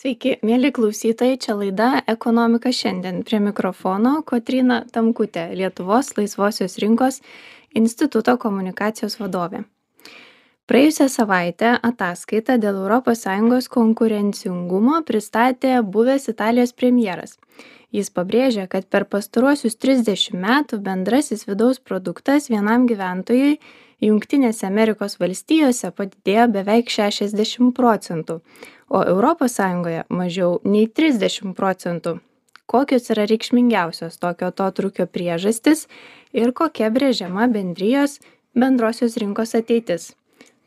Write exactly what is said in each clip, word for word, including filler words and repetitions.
Sveiki, mėly klausytojai, čia laida Ekonomika šiandien. Prie mikrofono Kotryna Tamkutė, Lietuvos laisvosios rinkos instituto komunikacijos vadovė. Praėjusią savaitę ataskaitą dėl Europos Sąjungos konkurencingumo pristatė buvęs Italijos premjeras. Jis pabrėžė, kad per pastaruosius trisdešimt metų bendrasis vidaus produktas vienam gyventojui Jungtinėse Amerikos valstijose padidėjo beveik šešiasdešimt procentų, o Europos Sąjungoje mažiau nei trisdešimt procentų. Kokios yra reikšmingiausios tokio atotrūkio priežastis ir kokia brėžiama bendrijos bendrosios rinkos ateitis?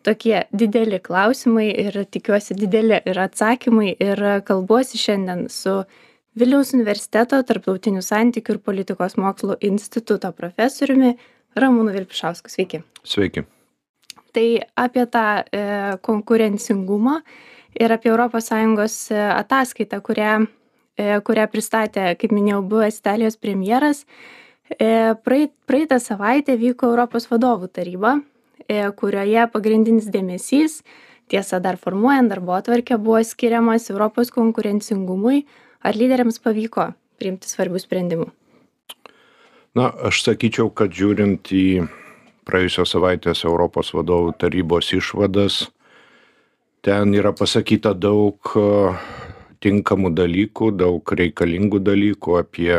Tokie dideli klausimai ir tikiuosi dideli ir atsakymai ir kalbuosi šiandien su Vilniaus universiteto tarptautinių santykių ir politikos mokslų instituto profesoriumi Ramūnu Vilpišausku. Sveiki. Sveiki. Tai apie tą e, konkurencingumą ir apie Europos Sąjungos ataskaitą, kurią, e, kurią pristatė, kaip minėjau, buvęs Italijos premjeras. E, praeit, praeitą savaitę vyko Europos vadovų taryba, e, kurioje pagrindinis dėmesys, tiesa dar formuojant darbotvarkę, buvo skiriamas Europos konkurencingumui. Ar lyderiams pavyko priimti svarbių sprendimų? Na, aš sakyčiau, kad žiūrint į praėjusios savaitės Europos vadovų tarybos išvadas, ten yra pasakyta daug tinkamų dalykų, daug reikalingų dalykų apie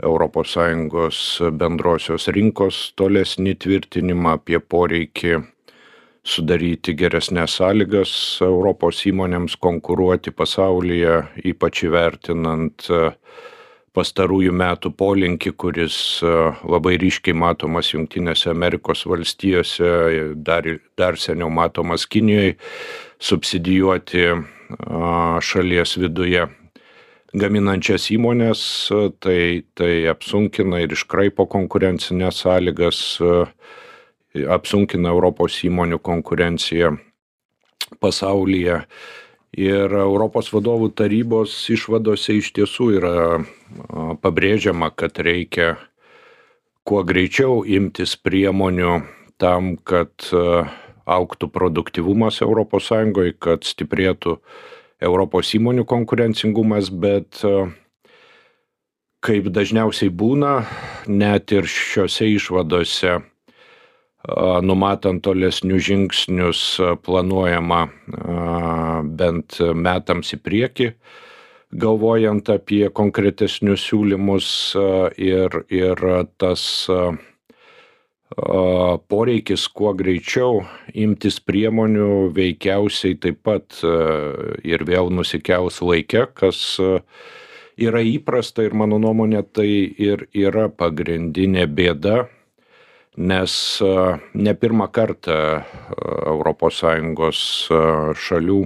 Europos Sąjungos bendrosios rinkos tolesnį tvirtinimą, apie poreikį sudaryti geresnės sąlygas Europos įmonėms konkuruoti pasaulyje, ypač įvertinant pastarųjų metų polinkį, kuris labai ryškiai matomas Jungtinėse Amerikos valstijose, dar, dar seniau matomas Kinijoje, subsidijuoti šalies viduje gaminančias įmonės, tai, tai apsunkina ir iškraipo konkurencinės sąlygas, apsunkina Europos įmonių konkurenciją pasaulyje. Ir Europos vadovų tarybos išvadose iš tiesų yra pabrėžiama, kad reikia kuo greičiau imtis priemonių tam, kad augtų produktyvumas Europos Sąjungoje, kad stiprėtų Europos įmonių konkurencingumas, bet kaip dažniausiai būna, net ir šiose išvadose numatant tolesnius žingsnius planuojama bent metams į priekį, galvojant apie konkretesnius siūlymus ir, ir tas poreikis kuo greičiau imtis priemonių veikiausiai taip pat ir vėl nusikels laike, kas yra įprasta ir mano nuomonė tai ir yra pagrindinė bėda, nes ne pirmą kartą Europos Sąjungos šalių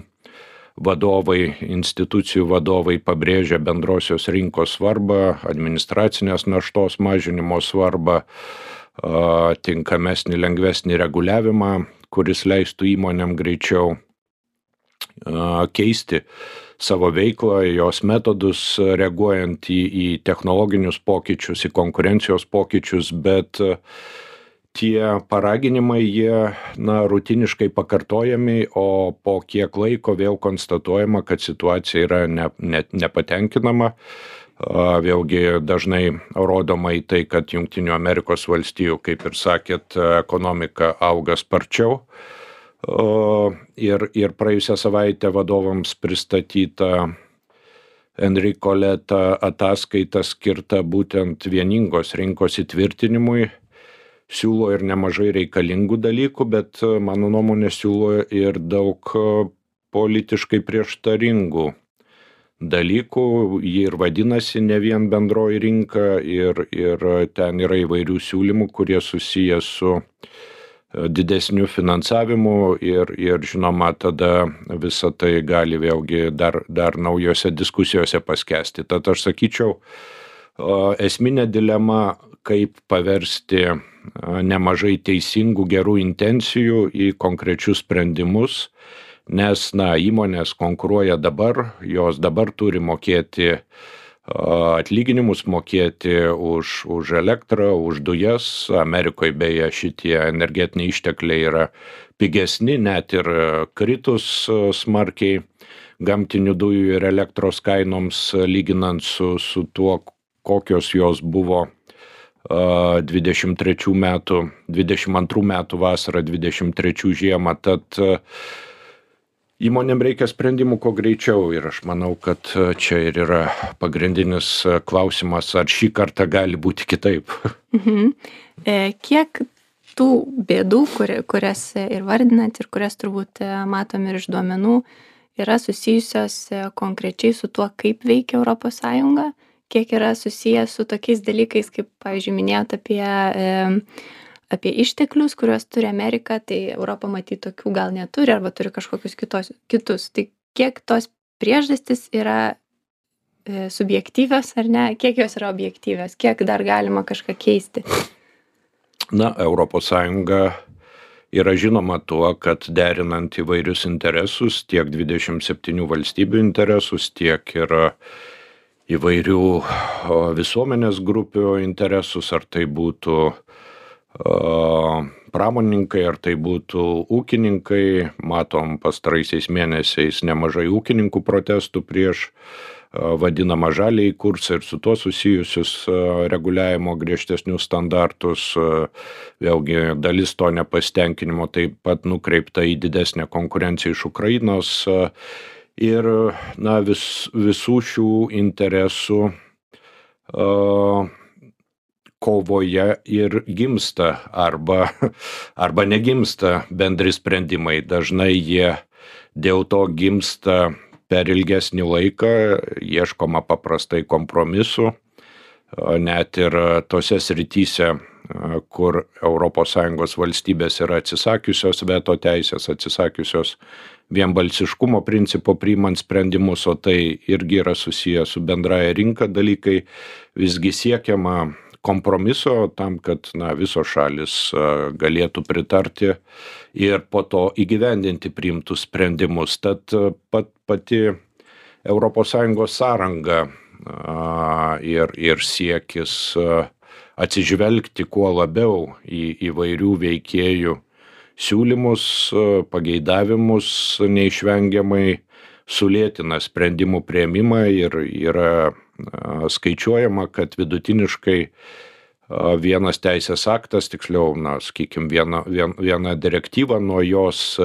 vadovai, institucijų vadovai pabrėžia bendrosios rinkos svarbą, administracinės naštos mažinimo svarbą, tinkamesnį, lengvesnį reguliavimą, kuris leistų įmonėm greičiau keisti savo veiklą, jos metodus, reaguojant į, į technologinius pokyčius, į konkurencijos pokyčius, bet tie paraginimai, jie na, rutiniškai pakartojami, o po kiek laiko vėl konstatuojama, kad situacija yra ne, ne, nepatenkinama. Vėlgi dažnai rodoma į tai, kad Jungtinių Amerikos valstijų, kaip ir sakėt, ekonomika auga sparčiau. Ir, ir praėjusią savaitę vadovams pristatyta Enrico Letta ataskaita skirta būtent vieningos rinkos įtvirtinimui. Siūlo ir nemažai reikalingų dalykų, bet mano nuomonė siūlo ir daug politiškai prieštaringų dalykų. Ji ir vadinasi ne vien bendroji rinka ir, ir ten yra įvairių siūlymų, kurie susiję su didesniu finansavimu ir, ir žinoma, tada visa tai gali vėlgi dar, dar naujose diskusijose paskesti. Tad aš sakyčiau, esminė dilema, kaip paversti nemažai teisingų gerų intencijų į konkrečius sprendimus, nes na, įmonės konkuruoja dabar, jos dabar turi mokėti atlyginimus, mokėti už, už elektrą, už dujas. Amerikoje beje šitie energetiniai ištekliai yra pigesni, net ir kritus smarkiai gamtinių dujų ir elektros kainoms, lyginant su, su tuo, kokios jos buvo dvidešimt trečių metų, dvidešimt antrų metų vasarą, dvidešimt trečių žiemą. Tad įmonėm reikia sprendimų kuo greičiau ir aš manau, kad čia ir yra pagrindinis klausimas, ar šį kartą gali būti kitaip. Mhm. E, kiek tų bėdų, kur, kurias ir vardinat ir kurias turbūt matom ir iš duomenų, yra susijusios konkrečiai su tuo, kaip veikia Europos Sąjunga, kiek yra susijęs su tokiais dalykais, kaip, pavyzdžiui, minėjot apie, e, apie išteklius, kuriuos turi Amerika, tai Europa matyt tokių gal neturi arba turi kažkokius kitos, kitus. Tai kiek tos priežastys yra e, subjektyvios ar ne, kiek jos yra objektyvios, kiek dar galima kažką keisti? Na, Europos Sąjunga yra žinoma tuo, kad derinant įvairius interesus, tiek dvidešimt septynių valstybių interesus, tiek ir įvairių visuomenės grupių interesus, ar tai būtų pramoninkai, ar tai būtų ūkininkai. Matom pastaraisiais mėnesiais nemažai ūkininkų protestų prieš vadinamą žaliąjį kursą ir su tuo susijusius reguliavimo griežtesnius standartus. Vėlgi dalis to nepasitenkinimo taip pat nukreipta į didesnę konkurenciją iš Ukrainos. Ir na, vis, visų šių interesų uh, kovoje ir gimsta arba, arba negimsta bendri sprendimai. Dažnai jie dėl to gimsta per ilgesnį laiką, ieškoma paprastai kompromisų, net ir tose srityse, kur Europos Sąjungos valstybės yra atsisakiusios veto teisės, atsisakiusios vienbalsiškumo principo priimant sprendimus, o tai irgi yra susiję su bendraja rinka dalykai, visgi siekiama kompromiso tam, kad na, visos šalis galėtų pritarti ir po to įgyvendinti priimtus sprendimus. Tad pat, pati Europos Sąjungos sąranga ir, ir siekis atsižvelgti kuo labiau į įvairių veikėjų siūlymus, pageidavimus neišvengiamai sulėtina sprendimų priėmimą ir yra skaičiuojama, kad vidutiniškai vienas teisės aktas, tiksliau, na, sakykime, viena, viena direktyva nuo jos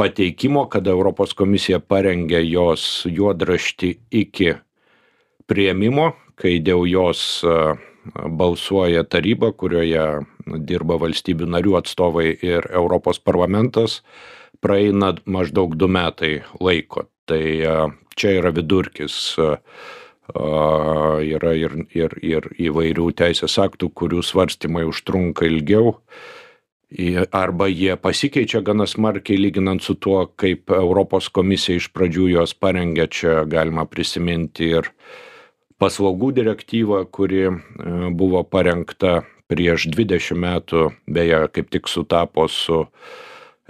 pateikimo, kada Europos komisija parengė jos juodraštį iki priėmimo, kai dėl jos balsuoja taryba, kurioje dirba valstybių narių atstovai ir Europos parlamentas, praeina maždaug du metai laiko. Tai čia yra vidurkis. Yra ir, ir, ir įvairių teisės aktų, kurių svarstymai užtrunka ilgiau, arba jie pasikeičia gana smarkiai lyginant su tuo, kaip Europos komisija iš pradžių jos parengė. Čia galima prisiminti ir paslaugų direktyvą, kuri buvo parengta prieš dvidešimt metų, beje, kaip tik sutapo su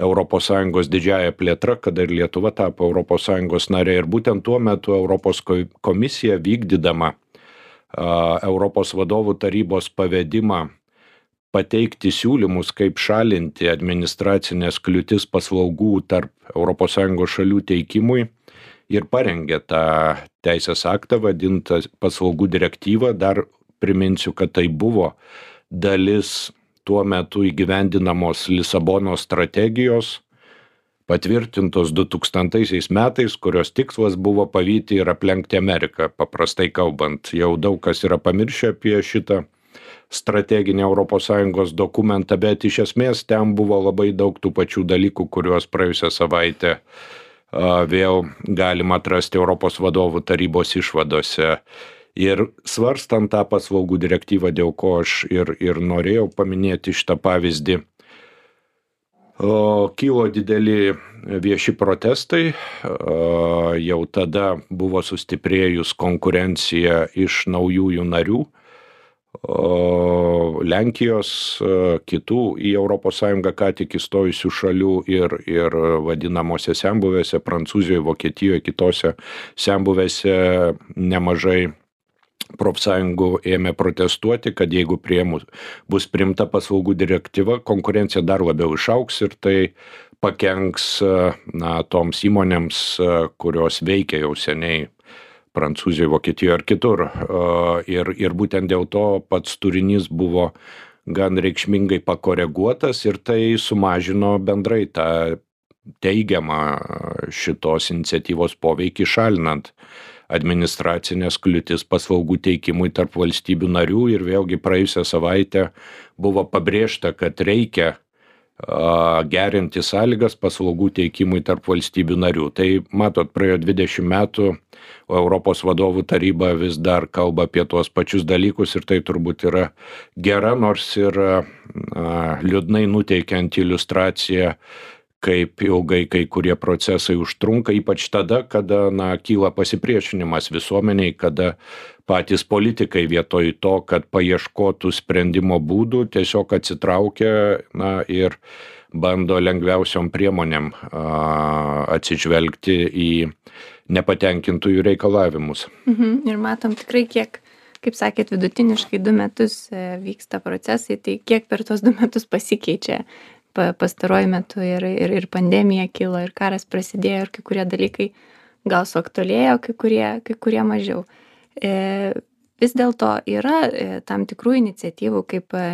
Europos Sąjungos didžiąja plėtra, kada ir Lietuva tapo Europos Sąjungos narė. Ir būtent tuo metu Europos komisija vykdydama Europos vadovų tarybos pavedimą pateikti siūlymus, kaip šalinti administracinės kliūtis paslaugų tarp Europos Sąjungos šalių teikimui, ir parengė tą teisės aktą vadintą paslaugų direktyvą. Dar priminsiu, kad tai buvo dalis tuo metu įgyvendinamos Lisabonos strategijos, patvirtintos du tūkstantaisiais metais, kurios tikslas buvo pavyti ir aplenkti Ameriką. Paprastai kalbant, jau daug kas yra pamiršę apie šitą strateginį Europos Sąjungos dokumentą, bet iš esmės ten buvo labai daug tų pačių dalykų, kuriuos praėjusią savaitę vėl galima atrasti Europos vadovų tarybos išvadose. Ir svarstant tą paslaugų direktyvą, dėl ko aš ir, ir norėjau paminėti šitą pavyzdį, o, kilo dideli vieši protestai, o, jau tada buvo sustiprėjus konkurencija iš naujųjų narių, o, Lenkijos, kitų į Europos Sąjungą ką tik įstojusių šalių ir, ir vadinamose senbuvėse, Prancūzijoje, Vokietijoje, kitose senbuvėse nemažai profsąjungų ėmė protestuoti, kad jeigu priėmus bus priimta paslaugų direktyva, konkurencija dar labiau išauks ir tai pakenks na, toms įmonėms, kurios veikia jau seniai Prancūzijoje, Vokietijoje ar kitur. Ir, ir būtent dėl to pats turinys buvo gan reikšmingai pakoreguotas ir tai sumažino bendrai tą teigiamą šitos iniciatyvos poveikį, šalinant administracinės kliūtis paslaugų teikimui tarp valstybių narių. Ir vėlgi praėjusią savaitę buvo pabrėžta, kad reikia gerinti sąlygas paslaugų teikimui tarp valstybių narių. Tai matot, praėjo dvidešimt metų, o Europos vadovų taryba vis dar kalba apie tuos pačius dalykus ir tai turbūt yra gera, nors ir liūdnai nuteikianti iliustracija, kaip ilgai kai kurie procesai užtrunka, ypač tada, kada na, kyla pasipriešinimas visuomeniai, kada patys politikai vietoj to, kad paieškotų sprendimo būdų, tiesiog atsitraukia na, ir bando lengviausiom priemonėm a, atsižvelgti į nepatenkintųjų reikalavimus. Mhm. Ir matom tikrai, kiek, kaip sakėt, vidutiniškai du metus vyksta procesai, tai kiek per tos du metus pasikeičia pastaruoju metu ir, ir, ir pandemija kilo, ir karas prasidėjo, ir kai kurie dalykai gal suaktualėjo, kai kurie, kai kurie mažiau. E, vis dėlto yra e, tam tikrų iniciatyvų, kaip e,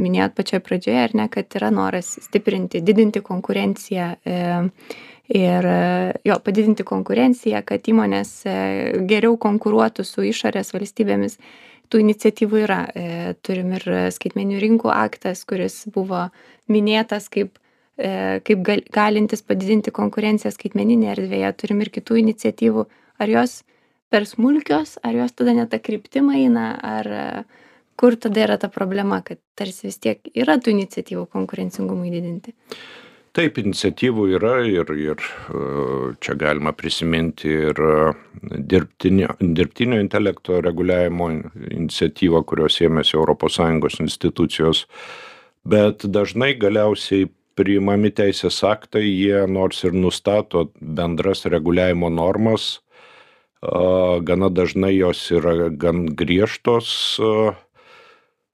minėjot pačioje pradžioje, ar ne, kad yra noras stiprinti, didinti konkurenciją e, ir e, jo, padidinti konkurenciją, kad įmonės e, geriau konkuruotų su išorės valstybėmis. Tų iniciatyvų yra. E, turim ir skaitmeninių rinkų aktas, kuris buvo minėtas kaip, e, kaip gal, galintis padidinti konkurenciją skaitmeninėje erdvėje. Turim ir kitų iniciatyvų. Ar jos per smulkios, ar jos tada ne tą kryptimą eina, ar kur tada yra ta problema, kad tarsi vis tiek yra tų iniciatyvų konkurencingumui didinti? Taip, iniciatyvų yra ir, ir čia galima prisiminti ir dirbtinio, dirbtinio intelekto reguliavimo iniciatyvą, kurios ėmėsi Europos Sąjungos institucijos, bet dažnai galiausiai priimami teisės aktai, jie nors ir nustato bendras reguliavimo normas, gana dažnai jos yra gan griežtos,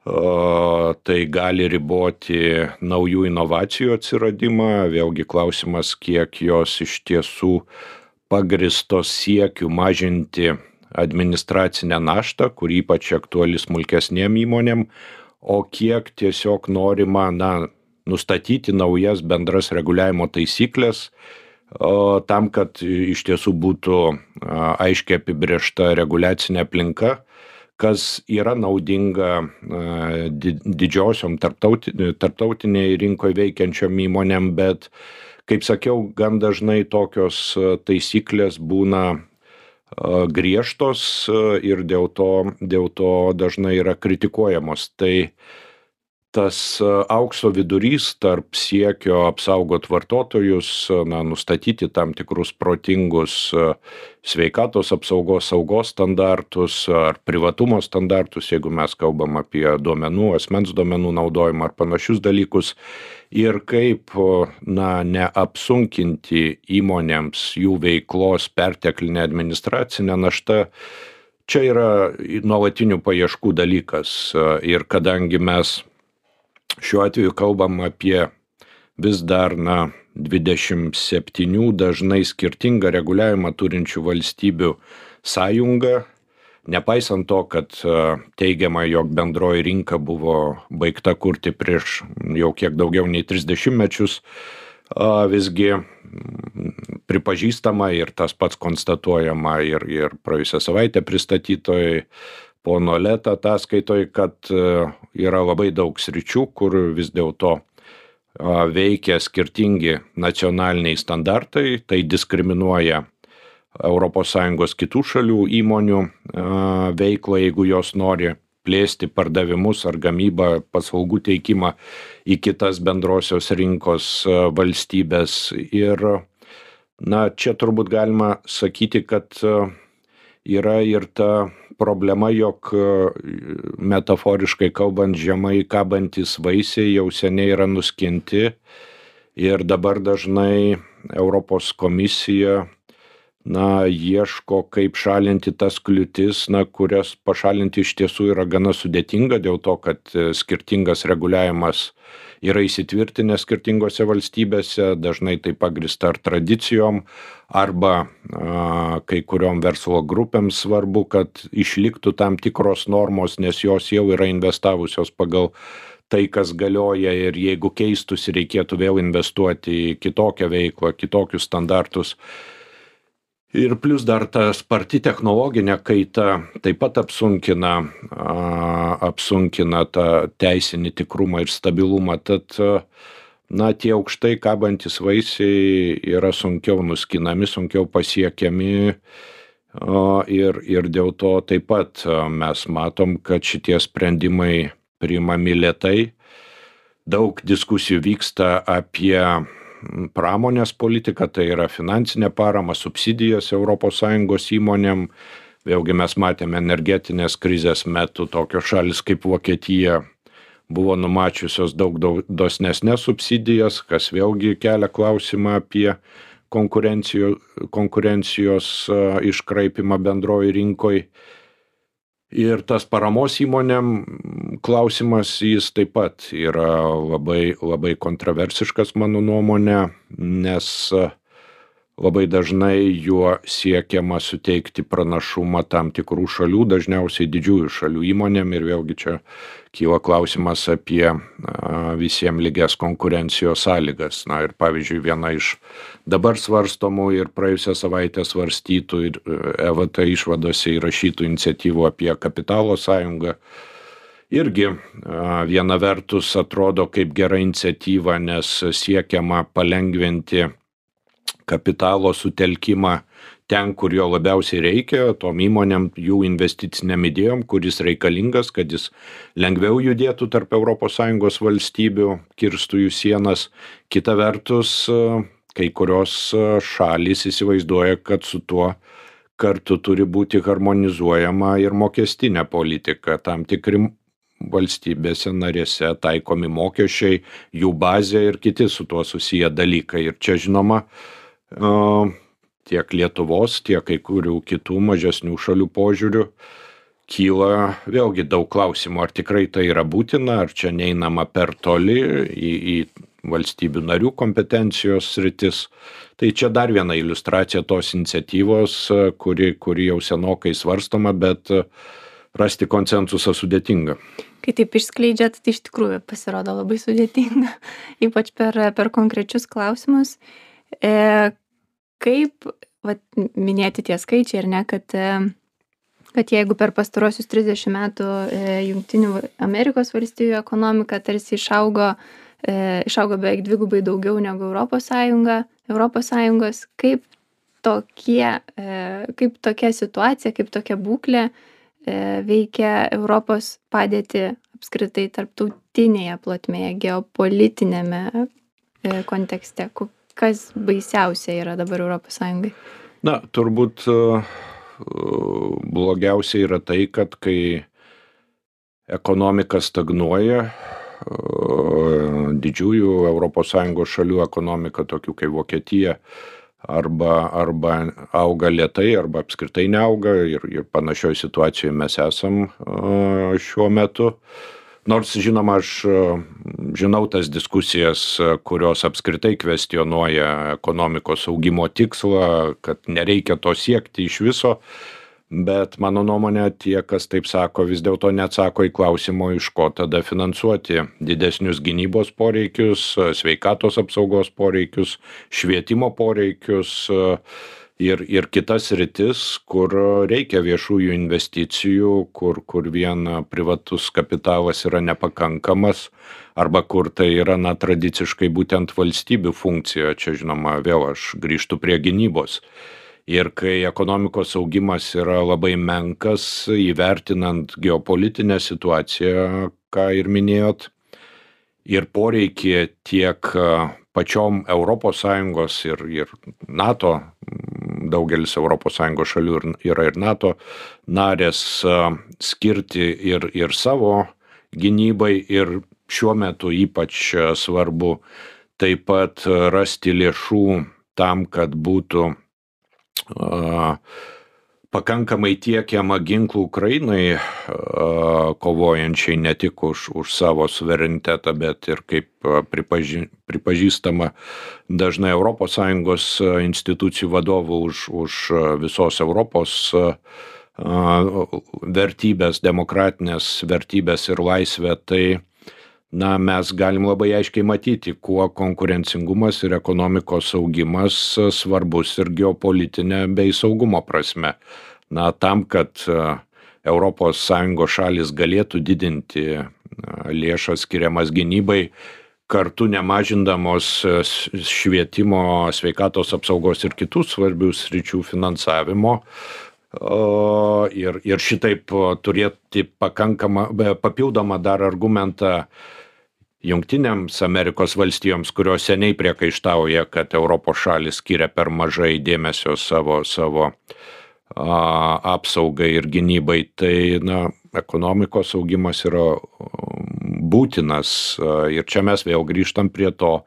tai gali riboti naujų inovacijų atsiradimą. Vėlgi klausimas, kiek jos iš tiesų pagristos siekiu mažinti administracinę naštą, kur ypač aktuali smulkesnėm įmonėm, o kiek tiesiog norima na, nustatyti naujas bendras reguliavimo taisyklės, tam, kad iš tiesų būtų aiškiai apibrėžta reguliacinė aplinka, kas yra naudinga didžiosiom tarptautinėje rinkoje veikiančiom įmonėm, bet, kaip sakiau, gan dažnai tokios taisyklės būna griežtos ir dėl to, dėl to dažnai yra kritikuojamos. Tai tas aukso vidurys tarp siekio apsaugot vartotojus, na, nustatyti tam tikrus protingus sveikatos apsaugos, saugos standartus ar privatumo standartus, jeigu mes kalbam apie duomenų, asmens duomenų naudojimą ar panašius dalykus, ir kaip na, neapsunkinti įmonėms jų veiklos perteklinę administracinę naštą, čia yra nuolatinių paieškų dalykas. Ir kadangi mes šiuo atveju kalbam apie vis dar na, dvidešimt septynių dažnai skirtingą reguliavimą turinčių valstybių sąjungą, nepaisant to, kad teigiama, jog bendroji rinka buvo baigta kurti prieš jau kiek daugiau nei tris dešimtmečius, visgi pripažįstama ir tas pats konstatuojama ir, ir praėjusią savaitę pristatytoj pono Leta ataskaitoj, kad yra labai daug sričių, kur vis dėlto veikia skirtingi nacionaliniai standartai, tai diskriminuoja Europos Sąjungos kitų šalių įmonių veiklą, jeigu jos nori plėsti pardavimus ar gamybą, paslaugų teikimą į kitas bendrosios rinkos valstybės. Ir na, čia turbūt galima sakyti, kad yra ir ta problema, jog metaforiškai kalbant, žemai kabantis vaisiai jau seniai yra nuskinti ir dabar dažnai Europos komisija na, ieško, kaip šalinti tas kliūtis, na, kurias pašalinti iš tiesų yra gana sudėtinga dėl to, kad e, skirtingas reguliavimas yra įsitvirtinęs skirtingose valstybėse, dažnai tai pagrįsta ar tradicijom, arba a, kai kuriom verslo grupėms svarbu, kad išliktų tam tikros normos, nes jos jau yra investavusios pagal tai, kas galioja, ir jeigu keistųsi, reikėtų vėl investuoti į kitokią veiklą, kitokius standartus. Ir plus dar ta sparti technologinė kaita taip pat apsunkina, a, apsunkina tą teisinį tikrumą ir stabilumą. Tad, a, na, tie aukštai kabantys vaisiai yra sunkiau nuskinami, sunkiau pasiekiami, a, ir, ir dėl to taip pat a, mes matom, kad šitie sprendimai priimami lėtai. Daug diskusijų vyksta apie pramonės politiką, tai yra finansinė parama, subsidijas Europos Sąjungos įmonėm. Vėlgi mes matėme energetinės krizės metu tokios šalis kaip Vokietija buvo numačiusios daug, daug dosnesnes subsidijas, kas vėlgi kelia klausimą apie konkurencijos, konkurencijos iškraipimą bendroji rinkoj. Ir tas paramos įmonėm klausimas, jis taip pat yra labai, labai kontroversiškas mano nuomonė, nes labai dažnai juo siekiama suteikti pranašumą tam tikrų šalių, dažniausiai didžiųjų šalių įmonėm, ir vėlgi čia kyla klausimas apie a, visiems lygias konkurencijos sąlygas. Na ir pavyzdžiui, viena iš dabar svarstomų ir praėjusią savaitę svarstytų ir E V T išvadose įrašytų iniciatyvų apie kapitalo sąjungą irgi a, viena vertus atrodo kaip gera iniciatyva, nes siekiama palengvinti kapitalo sutelkimą ten, kur jo labiausiai reikia, tom įmonėm, jų investiciniam idėjom, kuris reikalingas, kad jis lengviau judėtų tarp Europos Sąjungos valstybių, kirstų jų sienas. Kita vertus, kai kurios šalys įsivaizduoja, kad su tuo kartu turi būti harmonizuojama ir mokestinė politika, tam tikri valstybėse narėse taikomi mokesčiai, jų bazė ir kiti su tuo susiję dalykai. Ir čia, žinoma, tiek Lietuvos, tiek kai kurių kitų mažesnių šalių požiūrių kyla vėlgi daug klausimų, ar tikrai tai yra būtina, ar čia neinama per toli į, į valstybių narių kompetencijos sritis. Tai čia dar viena iliustracija tos iniciatyvos, kuri, kuri jau senokai svarstoma, bet rasti konsensusą sudėtinga. Kai taip išskleidžiat, tai iš tikrųjų pasirodo labai sudėtinga, ypač per, per konkrečius klausimus. E, kaip vat, minėti tie skaičiai, ar ne, kad, kad jeigu per pastarosius trisdešimt metų e, Jungtinių Amerikos valstijų ekonomika tarsi išaugo, e, išaugo beveik dvigubai daugiau negu Europos Sąjunga, Europos Sąjungos, kaip tokie, e, kaip tokia situacija, kaip tokia būklė e, veikia Europos padėtį apskritai tarptautinėje plotmėje, geopolitinėme e, kontekste. Kas baisiausia yra dabar Europos Sąjungai? Na, turbūt blogiausia yra tai, kad kai ekonomika stagnuoja, didžiųjų Europos Sąjungos šalių ekonomika, tokių kaip Vokietija, arba, arba auga lėtai, arba apskritai neauga, ir, ir panašioj situacijoje mes esam šiuo metu. Nors, žinoma, aš žinau tas diskusijas, kurios apskritai kvestionuoja ekonomikos augimo tikslą, kad nereikia to siekti iš viso, bet mano nuomonė, tie, kas taip sako, vis dėlto neatsako į klausimą, iš ko tada finansuoti didesnius gynybos poreikius, sveikatos apsaugos poreikius, švietimo poreikius, Ir, ir kitas sritis, kur reikia viešųjų investicijų, kur, kur vien privatus kapitalas yra nepakankamas, arba kur tai yra, na, tradiciškai būtent valstybių funkcija. Čia, žinoma, vėl aš grįžtu prie gynybos. Ir kai ekonomikos augimas yra labai menkas, įvertinant geopolitinę situaciją, ką ir minėjot, ir poreikį tiek pačiom Europos Sąjungos ir, ir NATO, daugelis Europos Sąjungos šalių yra ir NATO narės, skirti ir, ir savo gynybai, ir šiuo metu ypač svarbu taip pat rasti lėšų tam, kad būtų a, pakankamai tiekiama ginklų Ukrainai, a, kovojančiai ne tik už, už savo suverenitetą, bet ir kaip a, pripaži, pripažįstama dažnai Europos Sąjungos a, institucijų vadovų už, už a, visos Europos a, a, vertybės, demokratinės vertybės ir laisvę, tai na, mes galim labai aiškiai matyti, kuo konkurencingumas ir ekonomikos augimas a, svarbus ir geopolitinė bei saugumo prasme. Na, tam, kad a, Europos Sąjungos šalis galėtų didinti a, lėšas skiriamas gynybai, kartu nemažindamos a, s- švietimo, sveikatos apsaugos ir kitų svarbių sričių finansavimo. O, ir, ir šitaip a, turėti pakankamą, be- papildomą dar argumentą Jungtinėms Amerikos valstijoms, kurios seniai priekaištauja, kad Europos šalis skiria per mažai dėmesio savo, savo a, apsaugai ir gynybai, tai na, ekonomikos augimas yra um, būtinas. A, Ir čia mes vėl grįžtam prie to,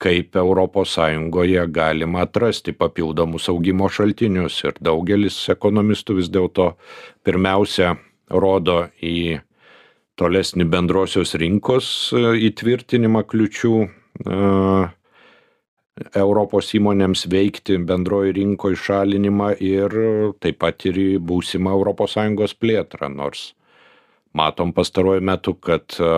kaip Europos Sąjungoje galima atrasti papildomus augimo šaltinius. Ir daugelis ekonomistų vis dėlto pirmiausia rodo į tolesnį bendrosios rinkos e, įtvirtinimą kliučių e, Europos įmonėms veikti bendroji rinkoje šalinimą ir taip pat ir į būsimą Europos Sąjungos plėtrą, nors matom pastaruoju metu, kad e,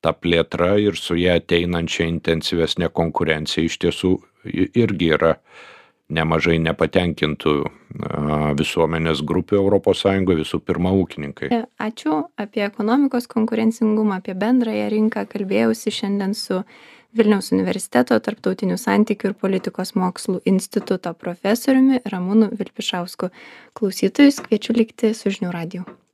ta plėtra ir su ją ateinančia intensyvesnė konkurencija iš tiesų i- irgi yra nemažai nepatenkintų a, visuomenės grupių Europos Sąjungoje, visų pirma ūkininkai. E, Ačiū. Apie ekonomikos konkurencingumą, apie bendrąją rinką kalbėjausi šiandien su Vilniaus universiteto tarptautinių santykių ir politikos mokslų instituto profesoriumi Ramūnu Vilpišausku. Klausytojus kviečiu likti su žinių radiju.